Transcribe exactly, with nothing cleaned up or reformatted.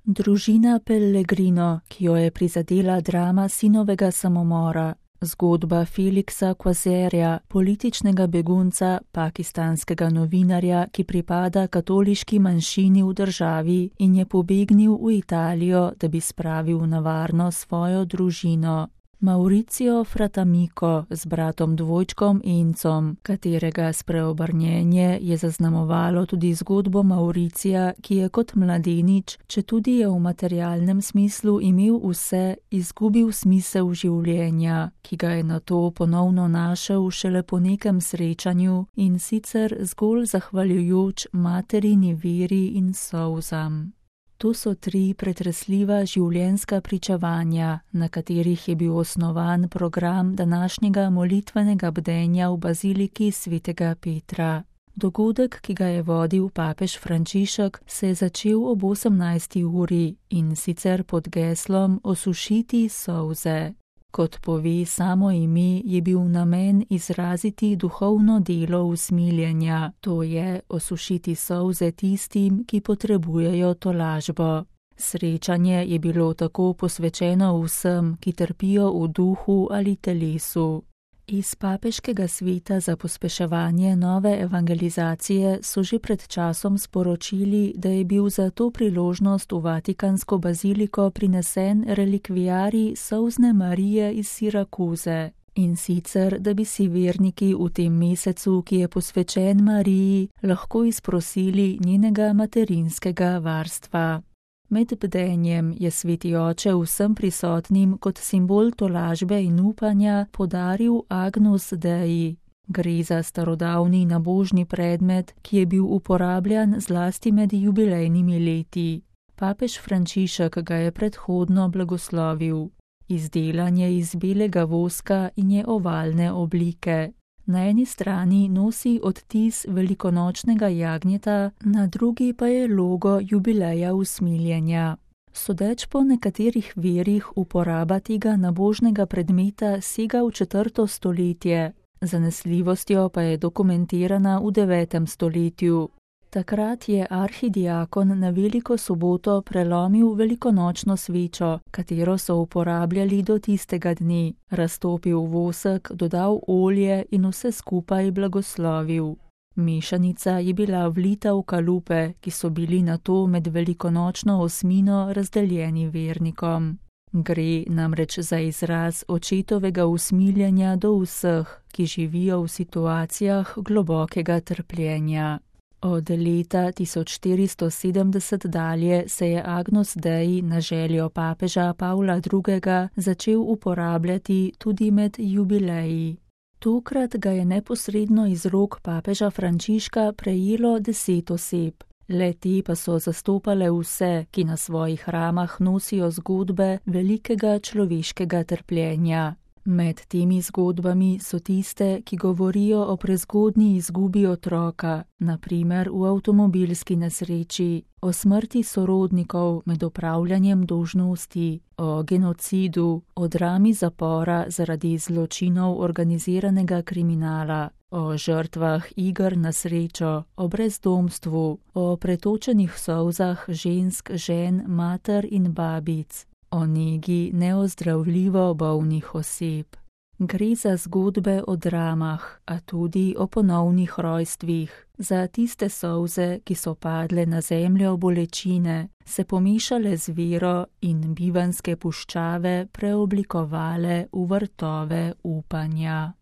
Družina Pellegrino, ki jo je prizadela drama sinovega samomora, zgodba Felixa Quasarja, političnega begunca, pakistanskega novinarja, ki pripada katoliški manjšini v državi in je pobegnil v Italijo, da bi spravil na varno svojo družino. Mauricio Fratamico z bratom dvojčkom Encom, katerega spreobrnjenje je zaznamovalo tudi zgodbo Mauricija, ki je kot mladenič, četudi je v materialnem smislu imel vse, izgubil smisel življenja, ki ga je nato ponovno našel šele po nekem srečanju in sicer zgolj zahvaljujoč materini veri in solzam. To so tri pretresljiva življenjska pričevanja, na katerih je bil osnovan program današnjega molitvenega bdenja v baziliki svetega Petra. Dogodek, ki ga je vodil papež Frančišek, se je začel ob osemnajsti uri in sicer pod geslom Osušiti solze. Kot pove samo ime, je bil namen izraziti duhovno delo usmiljenja, to je osušiti solze tistim, ki potrebujejo tolažbo. Srečanje je bilo tako posvečeno vsem, ki trpijo v duhu ali telesu. Iz papeškega sveta za pospeševanje nove evangelizacije so že pred časom sporočili, da je bil za to priložnost v Vatikansko baziliko prinesen relikviarij solzne Marije iz Sirakuze. In sicer, da bi si verniki v tem mesecu, ki je posvečen Mariji, lahko izprosili njenega materinskega varstva. Med bdenjem je sveti oče vsem prisotnim kot simbol tolažbe in upanja podaril Agnus Dei. Gre za starodavni nabožni predmet, ki je bil uporabljan zlasti med jubilejnimi leti. Papež Frančišek ga je predhodno blagoslovil. Izdelan je iz belega voska in je ovalne oblike. Na eni strani nosi odtis velikonočnega jagnjeta, na drugi pa je logo jubileja usmiljenja. Sodeč po nekaterih verih uporaba tega nabožnega predmeta sega v četrto stoletje, zanesljivostjo pa je dokumentirana v devetem stoletju. Takrat je arhidiakon na veliko soboto prelomil velikonočno svečo, katero so uporabljali do tistega dne, raztopil vosek, dodal olje in vse skupaj blagoslovil. Mešanica je bila vlita v kalupe, ki so bili nato med velikonočno osmino razdeljeni vernikom. Gre namreč za izraz očetovega usmiljenja do vseh, ki živijo v situacijah globokega trpljenja. Od leta tisoč štiristo sedemdeset dalje se je Agnus Dei na željo papeža Pavla drugega začel uporabljati tudi med jubileji. Tokrat ga je neposredno iz rok papeža Frančiška prejelo deset oseb. Le te pa so zastopale vse, ki na svojih ramah nosijo zgodbe velikega človeškega trpljenja. Med temi zgodbami so tiste, ki govorijo o prezgodnji izgubi otroka, na primer v avtomobilski nesreči, o smrti sorodnikov med opravljanjem dolžnosti, o genocidu, o drami zapora zaradi zločinov organiziranega kriminala, o žrtvah iger na srečo, o brezdomstvu, o pretočenih solzah žensk, žen, mater in babic, o negi neozdravljivo bolnih oseb. Gre za zgodbe o dramah, a tudi o ponovnih rojstvih, za tiste solze, ki so padle na zemljo bolečine, se pomešale z vero in bivanske puščave preoblikovale v vrtove upanja.